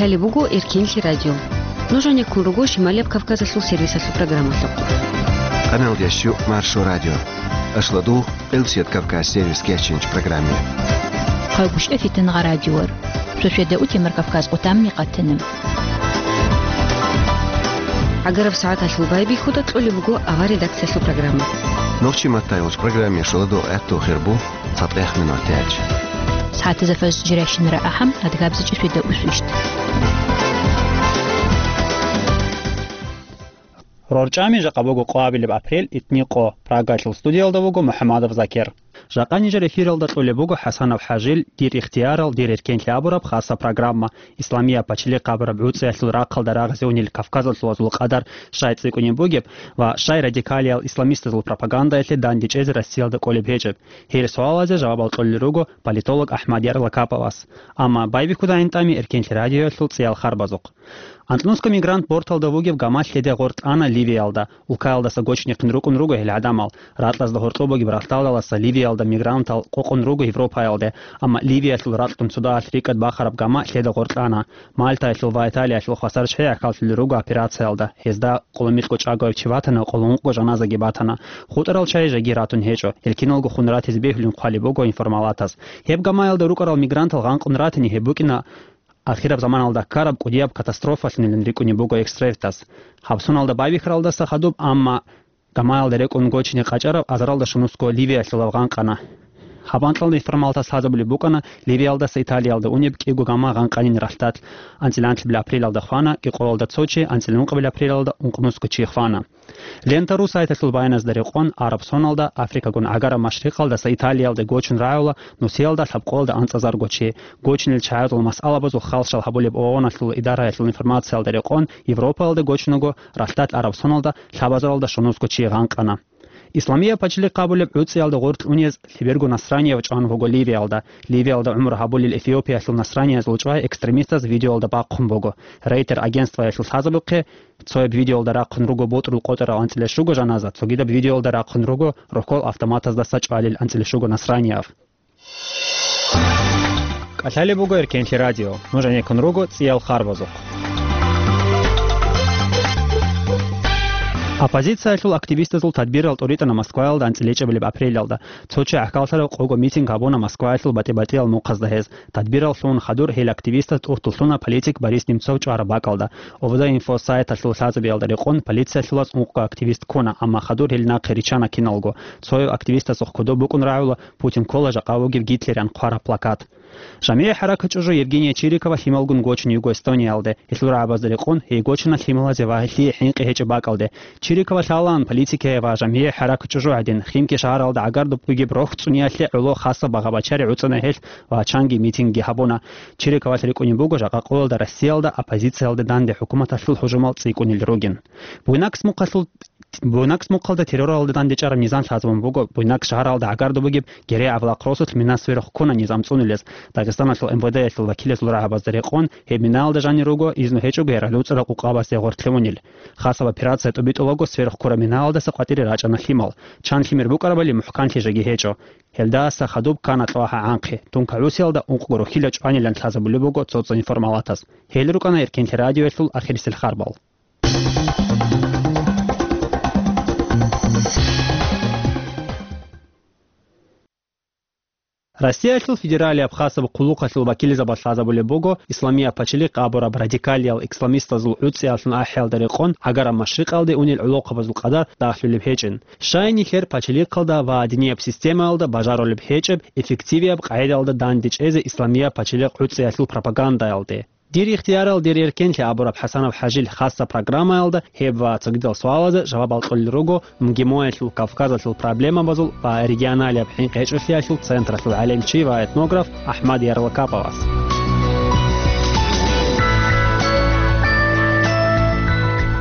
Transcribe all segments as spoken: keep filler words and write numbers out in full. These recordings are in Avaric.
Лъалеб буго Эркенлъи радио. Нуж гьанеккун руго Шималияб Кавказалъул сервисалъул программалъухъ. Къаналдеш Маршо радио. Ашладу, Къилсият Кавказ сервис кечинч программе. Хъайгуща фитангъа радиор. Шошеда утемар Кавказ къутамни къатана. Агараб сагӀаталъул байбихьуда кьолеб буго авар редакциялъул программа. Нохчи маттайгъуч программе шоладу гӀехту хирбу. ЦатӀех минутач. СагӀатазда фажр жирайщинара ахӀам, адгабзичӀеб шведа усвищ. РорчӀами жакъа буго къоабилеб апрель, итни къо. Прагалъул студиялда вуго МухӀамадов Закир. Жакъа нижер эфиралда кьолеб буго ХӀасанов ХӀажил «Дир ихтиярал, дир эркенлъи» абураб хаса программа. Исламияб пачалихъ абураб гӀуцӀиялъул рахъалда рагъазе унел кавказалъул вазул къадар щай цӀикӀкӀунеб бугеб ва щай радикалиял исламистазул пропагандаялъе дандечӀезе Россиялда кӀолеб гьечӀеб? Гьел суалазе жавабал кьолел руго политолог АхӀмад Ярлакаповас. Амма байбихьуда гӀинтӀами Эркенлъи радиоялъул цӀиял харбазухъ. Анкьнусго мигрант борталда вугеб гама лъеде гъоркь ана Ливиялда. Улкаялдаса гочнихъин рукӀун руго гьел гӀадамал. Ракьазда гьоркьоб бугеб ралъдалдаласа Ливиялда мигрантал къокъун руго Европаялде, амма Ливиялъул ракьгун цодаялъ рикӀкӀад бахараб гама лъеда гъоркьана. Мальтаялъул ва Италиялъул хвасар чӀей гӀахьаллъулел руго операциялда. Гьезда къоло микьго чӀаго чияс ватана ва къоло ункъго жаназаги батана. ХутӀарал чай жеги ратун гьечӀо. Гьел киналго хун ратизе бегьулин хъвалеб буго информалатас. Гьеб гамаялда рукӀарал мигрантал гъанкъун ратани гьеб букӀина ахираб заманалда ккараб кӀудияб катастрофалъунилан рикӀкӀунеб буго экспертас. Гьаб соналда байбихьаралдаса хадуб, амма гамаялда рекӀун гочине къачӀараб азаралда щунусго Ливиялъулав гъанкъана. Гьаб анкьалда информалатас лъазабулеб букӀана Ливиялдаса Италиялда унеб кӀиго гама гъанкъанин ралъдалъ. АнцӀила анлъабилеб апрелалда хвана, кӀикъоялда цо чи, анцӀила ункъабилеб апрелалда ункънусго чи хвана. Лента ру сайталъул баяназда рекъон, араб соналда Африкагун гӀагараб машрикъалдаса Италиялде гочун рагӀула нусиялда лъабкъоялда анцӀазарго чи. Гочинел чагӀазул масъалабазул халщал гьабулеб ООНалъул идараялъул информациялда рекъон, Европаялда гочунаго ралъдалъ араб соналда лъабазаралда щунусго чи гъанкъана. Исламияб пачалихъ абулеб гӀуцӀиялда гъоркь унез лъеберго насранияв чӀван вуго Ливиялда. Ливиялда гӀумру гьабулел Эфиопиялъул насраниязул чӀвай экстремистаз видеоялда бахъун буго. Рейтер агентствоялъул лъазабухъе, цояб видеоялда рахъун руго ботӀрул къотӀарал анцӀила щуго жаназа, цогидаб видеоялда рахъун руго рохьол автоматаздаса чӀвалел анцӀила щуго насранияв. КӀалъалеб буго Эркенлъи радио. Нуж гӀенеккун руго цӀиял харбазухъ. Оппозициялъул активистазул тадбирал тӀуритӀана Москваялда анцӀила чӀебилеб апрелалда. Цо чи гӀахьаллъарав къого митинг гьабуна Москваялъул батӀи-батӀиял мухъазда гьез. Тадбираллъун хадур гьел активистаз тӀуртӀулъуна политик Борис Немцов чӀвараб бакӀалда. Овда инфо сайталъул лъазабиялда рекъон полициялъулаз ункъго активист ккуна, амма хадур гьел нахъе риччана киналго. Цояв активистасухъ кодоб букӀун рагӀула «Путин ккола жакъа вугев Гитлерян» хъвараб плакат. ЖамигӀи хӀаракат чӀужу Евгения Чирикова лъималгун гочун йиго Эстониялде. Гьелъул рагӀабазда рекъон гьей гочана лъималазе ва гьелъие хӀинкъи гьечӀеб бакӀалде. Чирикова лъалаан политикае ва жамигӀи хӀаракат чӀужугӀадин, Химки шагьаралда гӀагарда бугеб рохь цӀуниялъе гӀоло хаса багъа-бачари гӀуцӀана гьелъ ва чанги митингги гьабуна. Чириковалъ рикӀкӀунеб буго жакъа къоялда Россиялда оппозициялда данде хӀукуматалъул гьужумал цӀикӀкӀунел ругин. Буйнакс мухъалъул, Буйнакс мухъалда терроралда дандечӀараб низам лъазабун буго, Буйнакс шагьаралда гӀагарда бугеб Герей Авлакросулъ мина сверухъ ккуна низам цӀунулез. Дагъистаналъул МВД-ялъул вакилазул рагӀабазда рекъон, гьеб минаялда жанир руго изну гьечӀого яралуцӀарал къукъабазде гъоркье унел. Хасаб операция тӀубитӀулаго сверухъ ккураб минаялдаса къватӀире рачӀана лъимал. Чан лъимер букӀарабали мухӀканлъи жеги гьечӀо. Гьелдаса хадуб ккана кьвагьа гӀанхъи. Тунка гӀусиялда ункъго рохьила чӀванилан лъазабулеб буго цо-цо информалатас. Гьел рукӀана Эркенлъи радиоялъул ахирисел харбал. Россиялъул федералияб хасаб хъулухъалъул вакилзабаз лъазабулеб буго Исламияб пачалихъ абураб радикалиял исламистазул гӀуцӀиялъун ахӀиялда рекъон гӀагараб машрикъалде унел гӀолохъабазул къадар дагьлъулеб гьечӀин. Щай нилъер пачалихъалда ва динияб системаялда бажарулеб гьечӀеб эффективияб къагӀидаялда дандечӀезе Исламияб пачалихъ гӀуцӀиялъул пропагандаялде? «Дир ихтиярал, дир эркенлъи» абураб ХӀасанов ХӀажил хасса программаялда гьеб ва цогидал суалазе жавабал кьолел руго МГИМОялъул Кавказалъул проблемабазул ва регионалияб хӀинкъи-гьечӀолъиялъул централъул гӀалимчи ва этнограф АхӀмад Ярлакаповас.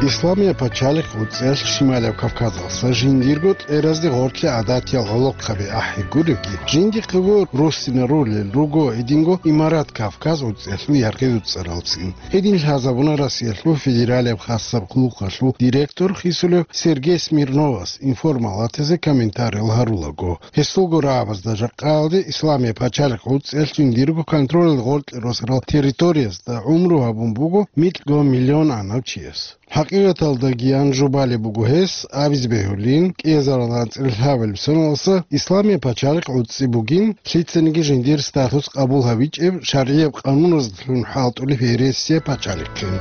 Исламияб пачалихъ гӀуцӀиялъ Шималияб Кавказалъа жиндирго кьеразде гъорлъе гӀадатиял гӀолохъаби ахӀи гуревги, жиндихъего руссинарулел руго гьединго Имарат Кавказ гӀуцӀиялъул яргъи-дуцӀаралцин. Гьедин лъазабуна Россиялъул федералияб хасаб къуллукъалъул директор хисулев Сергей Смирновас информалатазе комментариял гьарулаго. Гьесулго рагӀабазда жакъаялде Исламияб пачалихъ гӀуцӀиялъ жиндирго контролалда гъоркье росарал территориязда гӀумру гьабун буго микьго миллион анав чияс. ХӀакъикъаталдаги ан жубалеб буго гьес, абизе бегьулин, кӀиазаралда анцӀила лъабабилеб соналдаса Исламияб пачалихъ гӀуцӀи бугин, лъицаниги жиндир статус къабул гьабичӀеб шаргӀияб къануназдалъун хӀалтӀулеб гьересияб пачалихъин.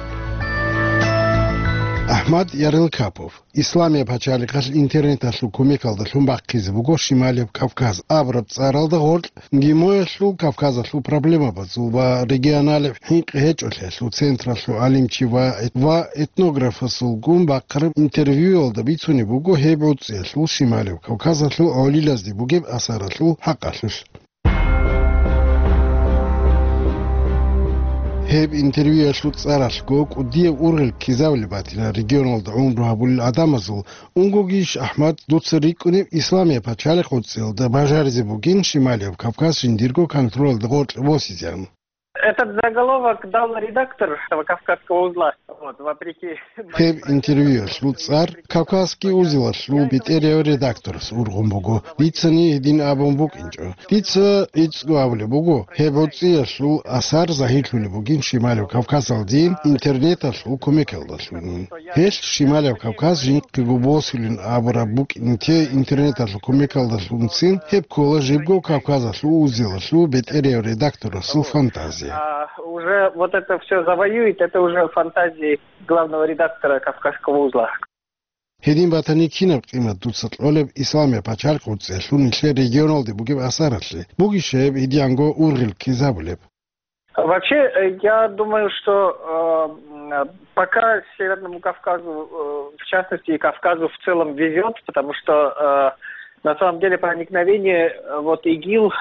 Ахмад Ярылкапов. Исламияб пачалихъалъ интернеталъул кумекалдалъун бахъизе буго Шималияб Кавказ абураб цӀаралда гъоркь ГМОялъул, Кавказалъул проблемабазул ва регионалияб хӀинкъи гьечӀолъиялъул централъул гӀалимчи ва, ва этнографасулгун бахъараб интервьюялда бицунеб буго гьеб гӀуцӀиялъул Шималияб Кавказалъул гӀолилазде бугеб асаралъул хӀакъалъулъ. Гьеб интервьюялъул цӀаралъго кӀудияб ургъел ккезабулеб батила регионалда гӀумру гьабулел гӀадамазул. Унгогищ, Ахмад, дуца рикӀкӀунеб Исламияб пачалихъ гӀуцӀиялда бажаризе бугин Шималияб Кавказ жиндирго контролалда гъоркье босизеян? Этот заголовок дал редактор этого Кавказского узла. Вот, вопреки моим... Гьеб интервьюялъул цӀар Кавказский узелалъул бетӀерияв редакторас ургъун буго. Дицани гьедин абун букӀинчӀо. Дица гӀицӀго абулеб буго, гьеб гӀуцӀиялъул асар загьирлъулеб бугин Шималияб Кавказалдин интернеталъул кумекалдалъунин. Гьелъ Шималияб Кавказ жинхъего босулин абураб букӀин те интернеталъул кумекалдалъунцин, гьеб ккола жибго Кавказалъул узелалъул бетӀерияв редакторасул фантазия. А уже вот это всё завоюет, это уже фантазии главного редактора Кавказского узла. Гьедин батани, кинаб къимат дуца кьолеб Исламияб пачалихъ гӀуцӀиялъул нилъер регионалде бугеб асаралъе? Бугищ гьеб гьединго ургъел ккезабулеб? Вообще, э, я думаю, что, э, м, пока Северному Кавказу, э, в частности, и Кавказу в целом везёт, потому что, э, на самом деле проникновение, э, вот ИГИЛ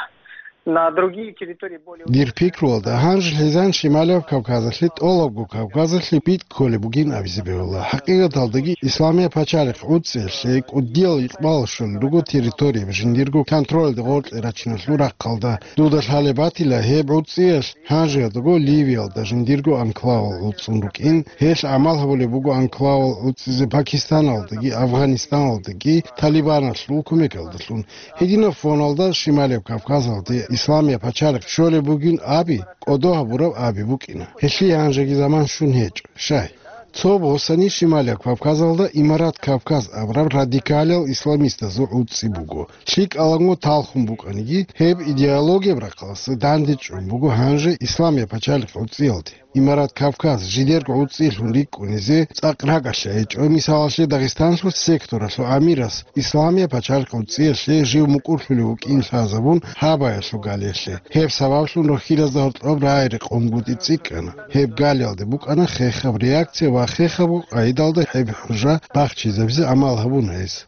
на другие территории более... Дир пикруялда, гьанже лъезан Шималияб Кавказалъе, тӀолабго Кавказалъе битӀ кколеб бугин абизе бегьула. ХӀакъикъаталдаги, Исламияб пачалихъ гӀуцӀиялъе кӀудиял икъбал щолел руго территорияб жиндирго контролалда гъоркье рачиналъул рахъалда. Дуда лъалеб батила, гьеб гӀуцӀиялъ гьанжеялдаго Ливиялда жиндирго анклавал гӀуцӀун рукӀин, гьелъ гӀамал гьабулеб буго анклавал гӀуцӀизе Пакистаналдаги Афгъанистаналдаги Талибаналъул кумекалдалъун. Гьединаб фоналда Шималияб Кавказалде Исламияб пачалихъ щолеб бугин аби, кӀодо гьабураб аби букӀина. Гьелъие гьанжеги заман щун гьечӀо, щай? Цо босани Шималияб Кавказалда Имарат Кавказ абураб радикалиял исламистазул гӀуцӀи буго. ЛъикӀаланго талхун букӀаниги, гьеб идеологияб рахъалъа дандечӀун буго гьанже Исламияб пачалихъ гӀуцӀиялде. Имарат Кавказ жидерго гӀуцӀиялъун рикӀкӀунизе цӀакъ ракӀалъа гьечӀо, мисалалъе, Дагъистанлъул секторалъул амирас Исламияб пачалихъ гӀуцӀиялъе жив мукӀурлъулев вукӀин лъазабун гьабаялъул галиялъе. Гьеб сабаблъун рохьилазда гьоркьоб рагӀи-рекъонгутӀи цӀикӀкӀана. Гьеб галиялде букӀана хехаб реакция ва хехабго къайдалда гьеб хӀужа бахчизабизе гӀамал гьабуна гьес.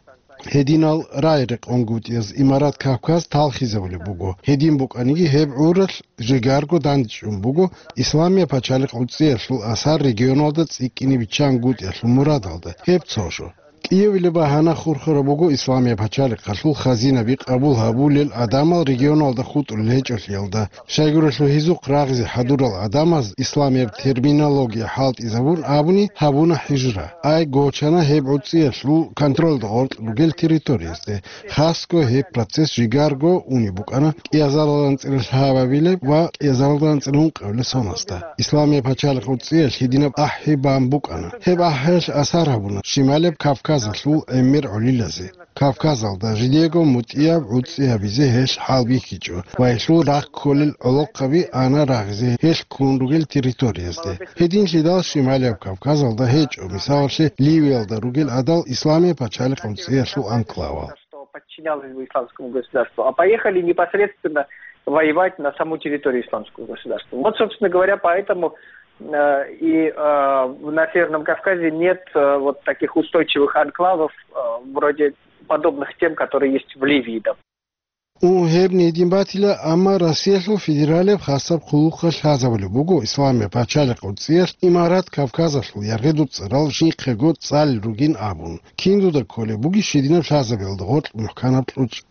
Гьединал рагӀи-рекъонгутӀияз Имарат Кавказ талхизабулеб буго. Гьедин букӀаниги, гьеб гӀуралъ жигарго дандчӀун буго Исламияб пачалихъ гӀуцӀиялъул асар регионалда цӀикӀкӀине биччангутӀиялъул мурадалда. Гьеб цо жо. КӀиявилеб багьана хурхараб буго Исламияб пачалихъалъул хазинаби къабул гьабулел гӀадамал регионалда хутӀулел гьечӀолъиялда. Щайгурелъул гьезухъ рагъизе хӀадурал гӀадамаз исламияб терминология хӀалтӀизабун абуни гьабуна хӀижра. Ай гочана гьеб гӀуцӀиялъул контролда гъоркь ругел территориязде. Хасго гьеб процесс жигарго унеб букӀана кӀиазаралда анцӀила лъабабилеб ва кӀиазаралда анцӀила ункъабилеб соналдаса. Исламияб пачалихъ гӀуцӀиялъ гьединаб ахӀи бан букӀана. Гьеб ахӀиялъ асар гьабуна Шималияб Кавказалъул гӀемер гӀолилазе. Кавказалда жидего мутӀигӀаб гӀуцӀи гьабизе гьелъ хӀалбихьичӀо ва гьелъул рахъ кколел гӀолохъаби ана рагъизе гьелъ ккун ругел территориязде. Гьединлъидал Шималияб Кавказалда гьечӀо, мисалалъе, Ливиялда ругел гӀадал Исламияб пачалихъ гӀуцӀиялъул анклавал. Что подчинялось бы исламскому государству, а поехали непосредственно воевать на саму территорию исламского государства. Вот, собственно говоря, поэтому, э, и, э, на Северном Кавказе нет, э, вот таких устойчивых анклавов, э, вроде подобных тем, которые есть в Ливии, допустим. Ун гьебни гьедин батила, амма Россиялъул федералияб хасаб хъулухъалъ лъазабулеб буго Исламияб пачалихъ гӀурцӀиялъ Имарат Кавказалъул яргъи дуцӀарал жинхъего цӀалел ругин абун. Киндуда кколеб бугищ гьединаб лъазабиялда гъоркь мухӀканаб кьучӀ?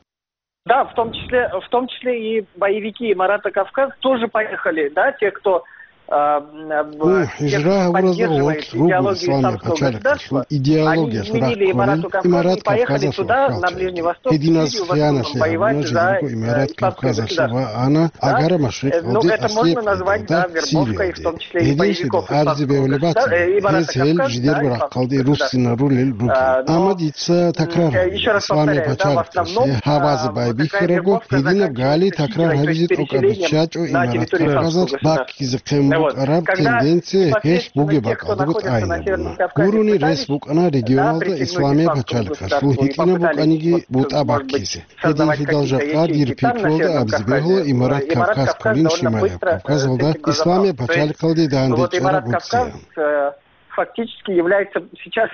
Да, в том числе, в том числе и боевики Марата Кавказ тоже поехали, да, те, кто, а, м, Ун те, кто хӀижра гьабуразда поддерживает гъоркь руго идеологию Исламияб исламского пачалихъалъул государства, они идеологиялъул изменили рагӀи Имарату кколин, Кавказу Имарат и поехали Кавказалъул туда, на хӀалчӀеги. Ближний Восток, в Гьединас Сирию, в основном хиянат воевать гьабуна жиндирго за, э, Имарат исламское Кавказалъе государство. Ва ана Да? Агара Э, ну, машрикъалде, это можно аслияб назвать, да, къагӀидалда вербовкой, в Сириялде. том числе и Гьединлъидал боевиков арзе исламского бегьулеб государства, бацана, э, и Марата гьез гьел Кавказа, жидерго да, рахъалде исламского государства. Руссинарулел ругин. А, но, Амма дица м, такрар э, гьабила, ещё раз Исламияб повторяю, да, в пачалихъалъе основном, гьабазе а, вот эта байбихьарабго, гербовка гьединаб назначается гали такрар исключительно, то есть гьабизе тӀокӀаб переселением биччачӀо на Имарат территорию Кавказалъ исламского государства. Баккизе хъен Ну вот, букӀараб когда тенденция гьелъ непосредственно бугеб те, кто бакӀалдего находится на тӀайин Северном буна. Кавказе, Гурони рес пытались, букӀана да, регионалда присягнуть Исламияб исламскому пачалихъалъул государству и гьитӀинаб попытались букӀаниги что-то, бутӀа может быть, баккизе. Создавать Гьединлъидал какие-то жакъа ячейки дир там, на пикруялда Северном абизе Кавказе, бегьула Имарат э, Имарат Кавказ Кавказ кколин довольно Шимаяб быстро, э, Кавказалда с этим Исламияб разобрался. То есть, пачалихъалде ну, вот данде Имарат чӀараб Кавказ, гӀурцциян. э, фактически является сейчас,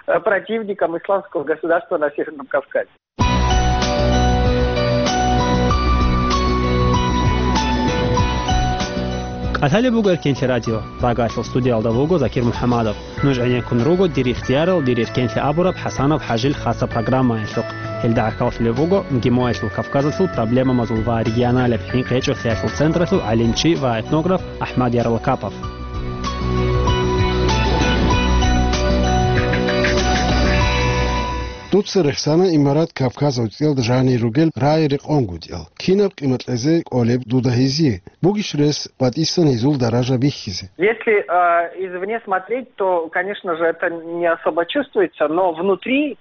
э, противником исламского государства на Северном Кавказе. КӀалъалеб буго Эркенлъи радио. Рагалъул студиялда вуго Закир МухӀамадов. Нуж гӀенеккун руго «Дир ихтиярал, дир эркенлъи» абураб ХӀасанов ХӀажил хасаб программаялъухъ. Гьелда гӀахьаллъулеб буго МГИМОялъул Кавказалъул проблемабазул ва регионалияб хӀинкъи гьечӀолъиялъул централъул гӀалимчи ва этнограф АхӀмад Ярлакапов. Дуца рехсана Имарат Кавказ гӀурцӀиялда жанир ругел рагӀи-рекъон гутӀиял. Кинаб къимат кьезе кӀолеб дуда гьезие? Бугищ рес батӀисан гьезул даража бихьизе? Если, а, извне смотреть, то, конечно же, это не особо чувствуется, но внутри,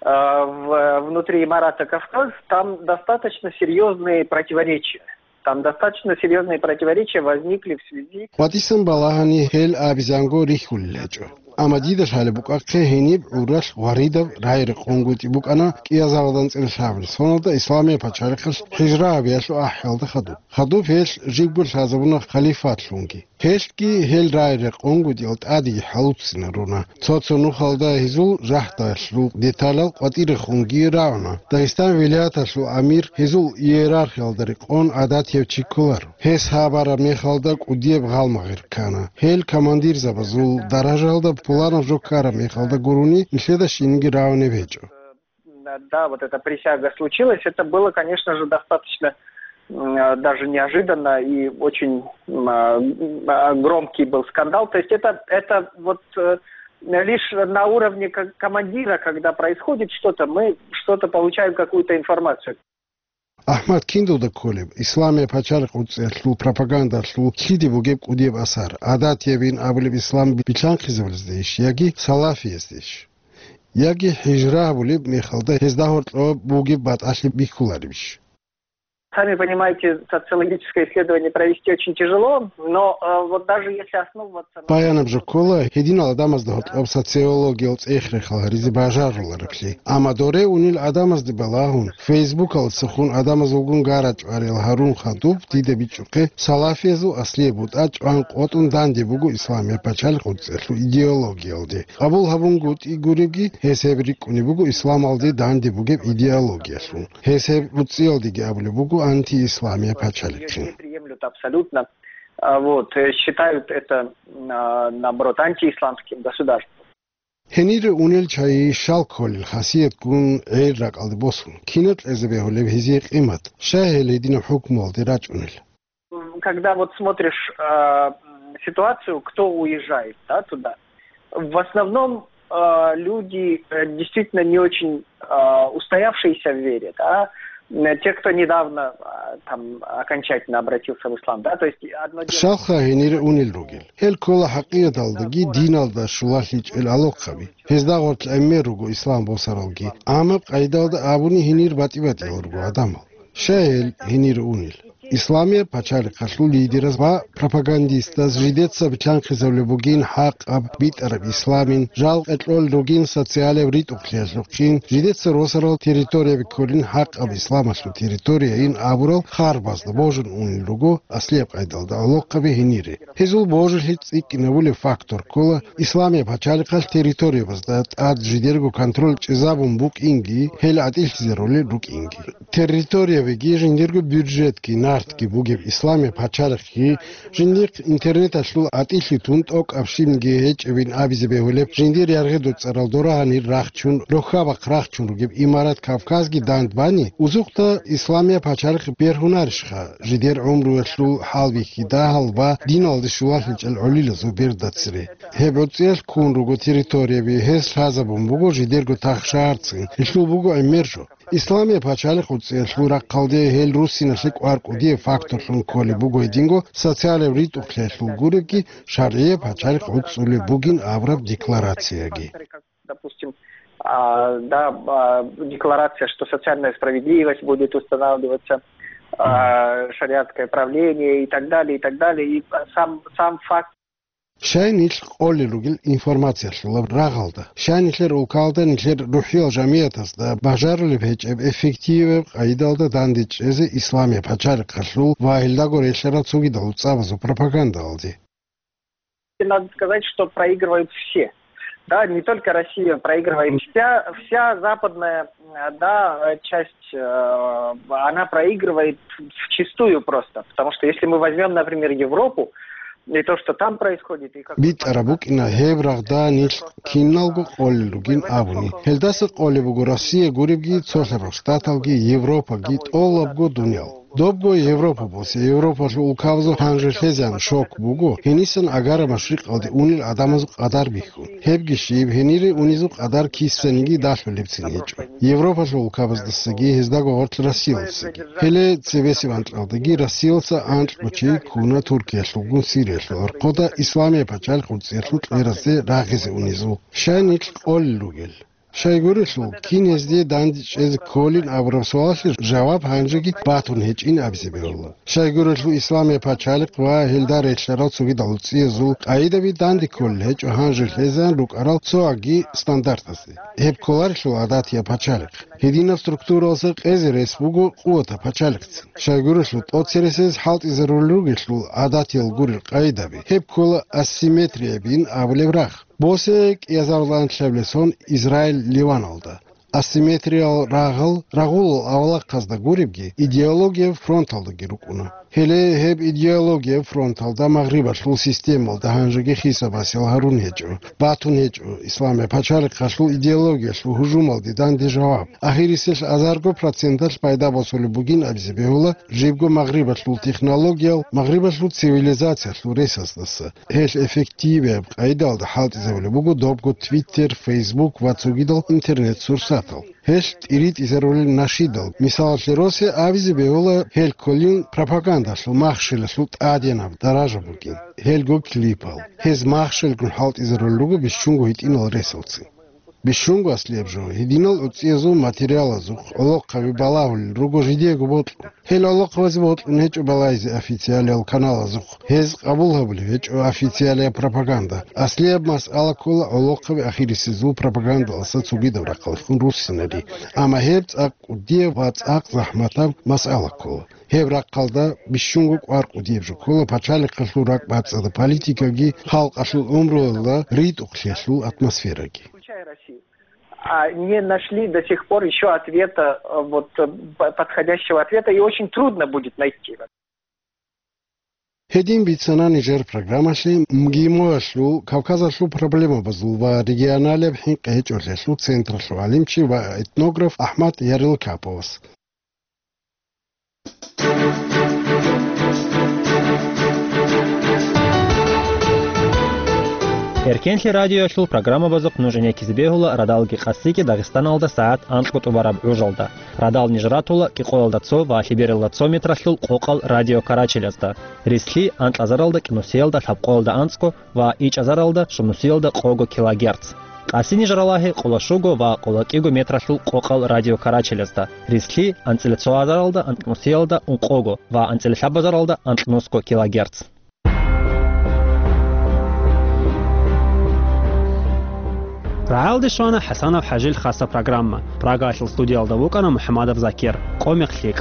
а, в-, внутри Имарата Кавказ там достаточно серьёзные противоречия. Там достаточно серьёзные противоречия возникли в связи БатӀисан балагьани гьел абизанго рихьулел гьечӀо. Амма дида лъалеб букӀахъе гьениб гӀуралъ гъваридаб рагӀи-рекъон гутӀи букӀана кӀиазабазда анцӀила лъабабилеб соналда Исламияб пачалихъалъ хӀижра гьабиялъул ахӀиялда хадуб. Хадуб гьелъ жибго лъазабуна халифатлъунги. Гьелъги гьел рагӀи-рекъон гутӀиял тӀадеги хӀалуццина руна. Цо-цо нухалда гьезул жагьдалъул деталал къватӀирехунги рагӀуна. Дагъистан вилаяталъул амир гьезул иерархиялда рекъон гӀадатияб чи кколаро. Гьес гьабараб мехалда кӀудияб гъалмагъир ккана. Гьел командирзабазул даражаялда пуланаб жо ккараб мехалда гурони нилъеда щинги рагӀунеб гьечӀо. Да, да, вот эта присяга случилась. Это было, конечно же, достаточно, м, а, даже неожиданно и очень, м, а, м, а, громкий был скандал. То есть это, это вот, э, лишь на уровне ко-, командира, когда происходит что-то, мы что-то получаем, какую-то информацию. АхӀмад, киндалда кколеб, Исламияб пачалихъ гӀурцӀиялъул пропагандалъул киде бугеб кӀудияб асар, гӀадатиябин абулеб ислам билълъанхъизабулездейищ яги салафияздейищ? Яги хӀижра гьабулеб мехалда гьезда гьоркьоб бугеб батӀалъи бихьуларебищ? Сами понимаете, социологическое исследование провести очень тяжело, но, э, вот даже если основываться на Баянаб жо ккола, гьединал гӀадамазда гьоркьоб социологиял цӀех-рехал гьаризе бажарулареблъи. Амма доре унел гӀадамазде балагьун, фейсбукалдасухъун гӀадамаз вугун гарачӀварал гьарун хадуб дида бичӀчӀухъе, салафиязул аслияб бутӀа чӀван къотӀун данде буго Исламияб пачалихъ гӀурцӀиялъул идеологиялде. Къабул гьабунгутӀи гуребги, гьес гьеб рикӀкӀунеб буго исламалде данде бугеб идеологиялъун. Гьес гьеб гӀурцӀиялдеги абулеб буго антиисламияб пачалихъин. Приемлют абсолютно. А, вот, э, считают это, а, наоборот, антиисламским государством. Гьенире унел чагӀи щал кколел хасиятгун гӀел ракӀалде босун, кинаб кьезе бегьулеб гьезие къимат, щай гьел гьединаб хӀукмуялде рачӀунел? Когда вот смотришь, а, м, ситуацию, кто уезжает, да, туда, в основном, а, люди, э, действительно не очень, а, устоявшиеся в вере, да, м, те, кто недавно, а, там, окончательно обратился в ислам, да, то есть одно дело Щалха гьенире унел ругел. Гьел ккола хӀакъикъаталдаги диналда щулалъичӀел алохъаби. Гьезда гъоркь гӀемер руго ислам босаралги. Амма къайдалда абуни гьенир батӀи-батӀиял руго гӀадамал. Щай гьел гьенир унел? Исламияб пачалихъалъул лидераз ва пропагандистаз жидеца билълъанхъизабулеб бугин хӀакъаб битӀараб исламин, жал къекъолел ругин социалияб ритӀухълъиялъухъин, жидеца росарал территорияби кколин хӀакъаб исламалъул территорияин абурал харбазда божун унел руго аслияб къайдалда гӀолохъаби гьенире. Гьезул божилъи цӀикӀкӀинабулеб фактор ккола, Исламияб пачалихъалъ территориябазда тӀад жидерго контроль чӀезабун букӀинги, гьел гӀатӀилъизарулел рукӀинги. Территориябиги, жиндирго бюджетги, нартги бугеб Исламияб пачалихъги, жиндихъ интернеталъул гӀатӀилъи тун тӀокӀаб щибниги гьечӀебин абизе бегьулеб, жиндир яргъи-доцӀарал дора-гьанир рахчун, рохьа-бахъ рахчун ругеб имарат Кавказги дандбани, узухъда Исламияб пачалихъ бергьунарищха, жидер гӀумруялъул хӀалбихьи дагьал ва диналде щулалъичӀел гӀолилазул берда цере. Гьеб гӀуцӀиялъ ккун руго территорияби, гьес лъазабун буго жидерго тахшагьарцин, гьелъул буго гӀемер жо. Исламияб пачалихъ гӀуцӀиялъул рахъалде гьел руссиналъе кӀвар кӀудияб факторлъун кколеб буго гьединго социалияб ритӀухълъиялъул гуребги, шаргӀияб пачалихъ гӀуцӀулеб бугин абураб декларацияги. Допустим, а, да, а, декларация, что социальная справедливость будет устанавливаться, а, шариатское правление и так далее, и так далее. И сам, сам факт. Щай нилъ къолел ругел информациялъулаб рагъалда, щай нилъер улкалда нилъер рухӀиял жамиятазда бажарулеб гьечӀеб эффективаб къайдалда дандечӀезе Исламияб пачалихъалъул ва гьелдаго релълъарал цогидал цӀабазул пропагандалде? Надо сказать, что проигрывают все. Да, не только Россия проигрывает, вся, вся западная, э, да, э, часть, э, она проигрывает вчистую просто. Потому что если мы возьмём, например, Европу, и то, что там происходит, и как... БитӀараб букӀина гьеб рагъда нилъ киналго къолел ругин абуни. Гьелдаса къолеб буго Россия гуребги, цолъарал штаталги, Европаги, тӀолабго дуниял. Добго Европа босе, Европалъул улкабазул гьанже лъезан шок буго, гьенисан агара машрикъалде унел гӀадамазул къадар бихьун. Гьебги щиб, гьенире унезул къадар кисаниги далъулебцин гьечӀо. Европалъул улкабаздасаги гьездаго гъорлъ Россиялдасаги. Гьеле цебесеб анкьалдаги Россиялдаса анкьго чи ккуна Туркиялъулгун Сириялъул архъода Исламияб пачалихъ гӀуцӀиялъул кьеразе рагъизе унезул. Щай нилъ къолел ругел? Щайгурелъул, кин гьезде дандечӀезе кколин абураб суалалъе жаваб гьанжеги батун гьечӀин абизе бегьула. Щайгурелъул, Исламияб пачалихъ ва гьелда релълъарал цогидал гӀуцӀиязул къайдаби данде кколел гьечӀо гьанже лъезан рукӀарал цоги стандартазде. Гьеб кколарелъул гӀадатияб пачалихъ. Гьединаб структуралдаса къезе рес буго къуватаб пачалихъцин. Щайгурелъул, тӀоцересез хӀалтӀизарулел ругелъул гӀадатиял гурел къайдаби, гьеб ккола асимметриябин абулеб рагъ. Босе кӀиазарулан лъабилеб сон Израиль Ливаналда. Асимметриял рагъал рагъулал авлахъазда гуребги, идеологияб фронталдаги рукӀуна. Гьеле гьеб идеологияб фронталда магърибалъул системалда гьанжеги хисабасел гьарун гьечӀо, батун гьечӀо Исламияб пачалихъалъул идеологиялъул гьужумалде данде жаваб. Ахирисел азарго проценталъ пайда босулеб бугин абизе бегьула жибго магърибалъул технологиял, магърибалъул цивилизациялъул ресасдаса. Гьелъ эффективияб къайдалда хӀалтӀизабулеб буго добго Twitter, Facebook ва цогидал интернет-сурсатал. Гьелъ тӀиритӀизарулел нашидал, мисалалъе росе абизе бегьула гьел кколин пропагандалъул махщелалъул тӀаденаб даража бугин, гьелго клипал. Гьез махщелгун хӀалтӀизарулел руго бищунго гьитӀинал ресалцин. Бищунго аслияб жо, гьединал гӀуцӀиязул материалазухъ гӀолохъаби балагьулел руго жидеего бокьун. Гьел гӀолохъабазе бокьун гьечӀо балагьизе официалиял каналазухъ, гьез къабул гьабулеб гьечӀо официалияб пропаганда. Аслияб масъала ккола гӀолохъаби ахирисезул пропагандаласа цогидаб рахъалъухъун руссинари. Амма гьеб цӀакъ кӀудияб ва цӀакъ захӀматаб масъала ккола. Гьеб рахъалда бищунго кӀвар кӀудияб жо ккола пачалихъалъул ракӀбацӀцӀадаб политикаги, халкъалъул гӀумруялда ритӀухълъиялъул атмосфераги. А не нашли до сих пор ещё ответа, э, вот, э, п-, подходящего ответа, и очень трудно будет найти. Гьедин бицана нижер программалъе МГИМО-ялъул, Кавказалъул проблемабазул ва регионалияб хӀинкъи гьечӀолъиялъул централъул гӀалимчи ва этнограф АхӀмад Ярилкаповас. Эркенлъи радиоялъул программабазухъ нуж гӀенеккизе бегьула радалги къасиги Дагъистаналда сагӀат анкьго тӀубараб гӀужалда. Радал ниж ратула кӀикъоялда цо ва лъебералда цо метралъул къокъал радиокарачелазда, рислъи анкьазаралда кӀинусиялда лъабкъоялда анцӀго ва ичӀазаралда щунусиялда къого килогерц. Къасинижараллагьи къоло щуго ва къоло кӀиго метралъул къокъал радиокарачелазда, рислъи анцӀила цо азаралда анкьнусиялда ункъого ва анцӀила лъабазаралда анкьнусго килогерц. РагӀалде щвана ХӀасанов ХӀажил хасаб программа. Прагаялъул студиялда вукӀана МухӀамадов Закир. Къо мекълъи.